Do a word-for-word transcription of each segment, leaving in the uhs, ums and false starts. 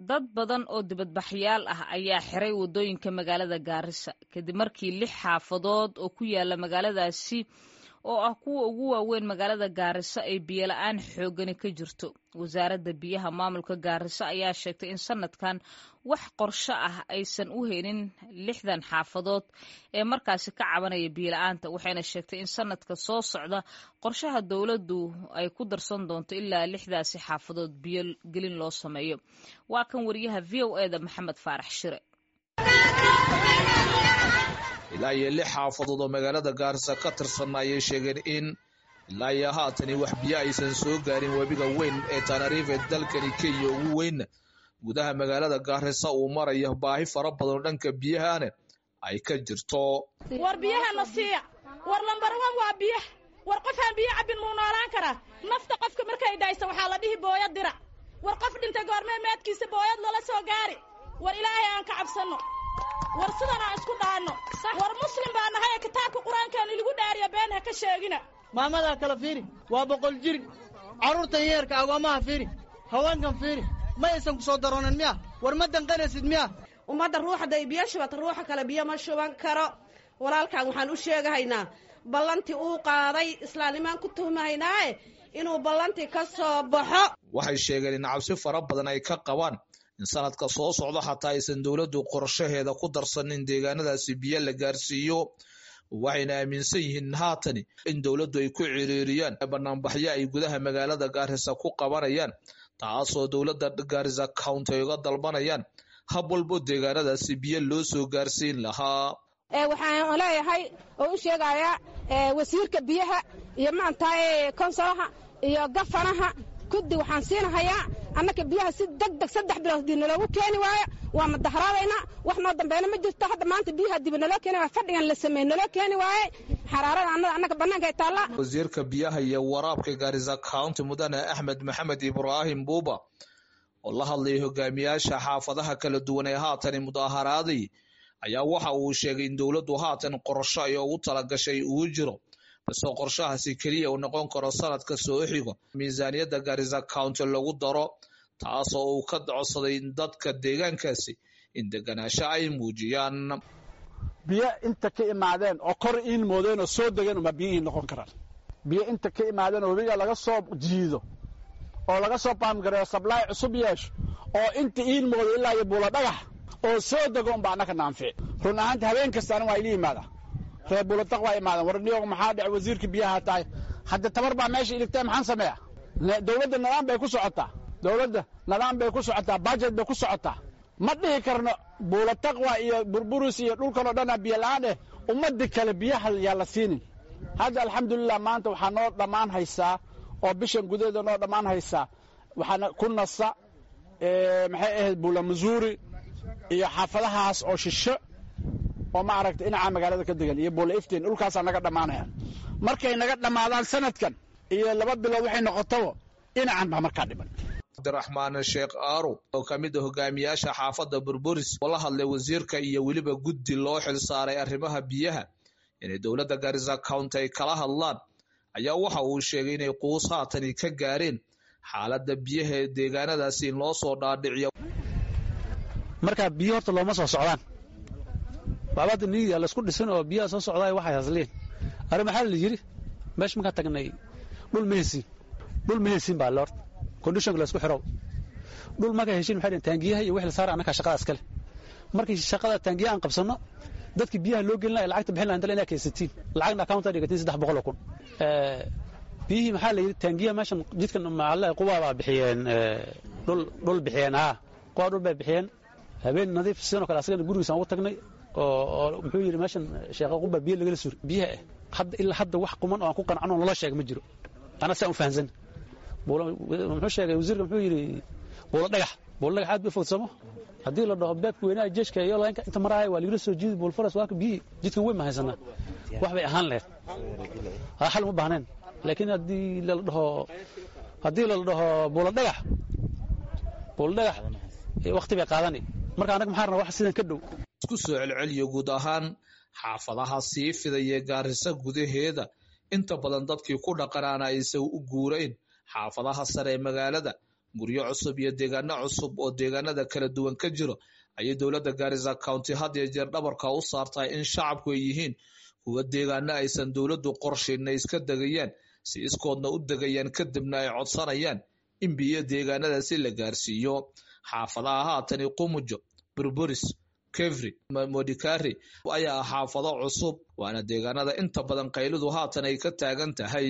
Dad badan oo dibadbaxyaal ah ayaa xiray waddooyinka magaalada Gaarisa kadib markii lix xaafadood oo ku yaala magaaladaasi oo ah kuwa ugu waaweyn magaalada Gaarisa ay biyo la-aan xoogani ka jirto. Wasaaradda biyaha maamulka Gaarisa ayaa sheegtay in sanadkan wax qorsho ah aysan u helin lixdan xaafadood ee markaasi ka cabanaya biyo la-aanta, waxayna sheegtay in sanadka soo socda qorshaha dowladdu ay ku darsan doonto ilaa lixdaasi xaafadood biyo gelin loo sameeyo. Waa kan wariyaha V O E da Maxamed Faarax Shire. Ilaa iyo lix xaafadood oo magaalada Gaarisa ka tirsan ayay sheegeen in ilaa iyo haatani wax biyo aysan soo gaarin. Webiga weyn ee Tana River dalkani Kenya ugu weyn gudaha magaalada Gaarisa uu marayo, baahi fara badan oo dhanka biyahana ay ka jirto. War biyahana siiya, war lambar wan waa biyaha. War qofaan biyo cabbin muu noolaan karaa? Nafta qofka markay dhayso waxaa la dhihi booyad dira. War qof dhintay goormee meedkiisa booyad lala soo gaari? War Ilaahay aan ka cabsanno, war sidan aan isku dhaanno. War muslim baa nahay, kitaabka Qur-aankaan ilagu dhaariya, been ha ka sheegina. Maamadaa kala fiiri, waa boqol jir. Carruurtan yeerka agoomaha fiiri, haweenkan fiiri, ma aysan ku soo daroonan miya? War ma danqanaysid miya? Ummadda ruuxda biyo shubata, ruuxa kale biyo ma shuban karo. Walaalkan waxaan u sheegahaynaa ballantii uu qaaday, islaamnimaan ku tuhmahaynaaye, inuu ballantii ka soo baxo. Waxay sheegeen in cabsi fara badan ay ka qabaan in sanadka soo socda xataa aysan dowladdu qorshaheeda ku darsanin deegaanadaasi biyo la gaarsiiyo, waxayna aaminsan yihiin haatani in dowladdu ay ku ciriiriyaan banaanbaxyo ay gudaha magaalada Gaarisa ku qabanayaan, taasoo dowladda Gaarisa County ay uga dalbanayaan hab walbo deegaanadaasi biyo loo soo gaarsiin lahaa. Waxaan leeyahay oo u sheegayaa wasiirka biyaha iyo maantaay konsolaha iyo gafanaha kuddi, waxaan siinahayaa annaka biyaha si deg deg saddex bilood hadii naloogu keeni waayo waa mudaharaadaynaa, wax noo dambeena ma jirto. Hadda maanta biyaha dib naloo keeni waayo, fadhigan la sameey naloo keeni waaye, xaraarada annada annaka bannaanka ay taallaa. Wasiirka biyaha iyo waraabka Gaarisa County, Mudane Axmed Maxamed Ibraahim Buuba, oo la hadlayay hogaamiyaasha xaafadaha kala duwan ee haatan mudaharaaday, ayaa waxa uu sheegay in dowladdu haatan qorsho ay ugu talagashay uu jiro, balse qorshahaasi keliya uu noqon karo sanadka soo xigo miisaaniyadda Gaarisa County lagu daro, taasoo uu ka codsaday dadka deegaankaasi in deganaasho ay muujiyaan. Biyo inta ka imaadeen oo kor iin moodeen oo soo degeen uma biyihii noqon karaan. Biyo inta ka imaadeen oo webiga laga soo jiido oo laga soo baamgareeyo, sablaay cusub yeesho oo inta iin moodo ilaa iyo Buula Dhagax oo soo dego unbaa annaka naanfici. Run ahaanti habeen kasta anin waa ila yimaada, reer Buulataq waa imaadeen. War niyoog, maxaa dhec? Wasiirka biyaha tahay, hadda tabar baa meesha iligtay, maxaan sameeya? Dowladda nidaam bay ku socotaa, dowladda nidaam bay ku socotaa, budget bay ku socotaa. Ma dhihi karno Buulataqwa iyo Burburus iyo dhulkan oo dhanaa biyo la-aan eh, ummadii kale biyaha yaa la siinin. Hadda alxamdulilah maanta waxaa noo dhammaan haysaa oo bishan gudaheeda noo dhammaan haysaa, waxaana ku nasa, maxay ahayd, Buula Masuuri iyo xaafadahaas oo shisho oo ma aragta dhinaca magaalada ka degan iyo Buula Iftiin, dhulkaasaa naga dhammaanaya. Markay naga dhammaadaan sanadkan iyo laba bilood waxay noqotaba, dhinacan baa markaa dhiman. Cabdiraxmaan Sheekh Aarow oo ka mid a hogaamiyaasha xaafadda Burburis oo la hadlay wasiirka iyo weliba guddi loo xil saaray arrimaha biyaha inay dowladda Gaarisa County ay kala hadlaan, ayaa waxa uu sheegay inay quus haatani ka gaareen xaaladda biyaha ee deegaanadaasi in loo soo dhaadhiciyo. Marka biyo horta looma soo socdaan, baabada niiga laysku dhisin oo biyaha soo socdaay waxay hasliin. Arrin maxaa la yidhi meesha markaan tagnay? Dhul ma heysiin, dhul ma heysiin baa le horta conditionka laysku xiro. Dhul markay heshiin, maxay dhaheen taangiyaha iyo wixii la saara annagaa shaqada iskale. Markii shaqada taangiyaha aan qabsanno, dadkii biyaha loo gelin lahaa lacagta bixin lahaa inta inaa kaysatiin, lacagna account dhigatiin saddex boqol oo kun. Biyihii maxaa la yidhi? Taangiyaha meeshan jidkan maxaa Quba baa bixiyeen, dhul dhul bixiyeen, haa, Quba dhul bay bixiyeen. Habeen Nadiif sidoo kale asagana gurigiisaan ugu tagnay oo muxuu yidhi meeshan Sheekha Quba biyo lagala sur biyaha ah. Hadda ilaa hadda wax quman oo aan ku qancano naloo sheega ma jiro. Ana saa u fahansan, muxuu sheegay wasiirka? Muxuu yidhi Buulo Dhagax. Buulo Dhagax aad bay fogsamo. Haddii la dhaho beebka weynaha jeeshka iyo laynka inta maraaya waa lagala soo jiidi Buulfaras, waa ka biyihii jidkan weyn ma haysanaa, wax bay ahaan lahayd, ha xal uma baahneen. Laakiin haddii la dhaho haddii la dhaho Buulo Dhagax, Buulo Dhagax waqti bay qaadani. Marka annaga maxaa rabnaa? Wax sidan ka dhow. Isku soo celceliyo, guud ahaan xaafadaha sii fidaya Gaarisa gudaheeda inta badan dadkii ku dhaqanaana aysan u guurayn xaafadaha sare ee magaalada. Guryo cusub iyo deegaano cusub oo deegaanada kala duwan ka jiro ayay dowladda Garissa County had iyo jeer dhabarka u saartaa in shacabku ay yihiin kuwa deegaano aysan dowladdu qorshayn ay iska degayaan, si iskoodna u degayaan, kadibna ay codsanayaan in biyo deegaanadaasi la gaarsiiyo. Xaafadaha haatani Qumujo, Burburis, Kevri, Modikari ayaa ah xaafado cusub, waana deegaanada inta badan qaylidu haatan ay ka taagan tahay.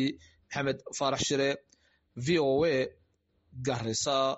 Maxamed Faarax Shire, V O A, Garissa.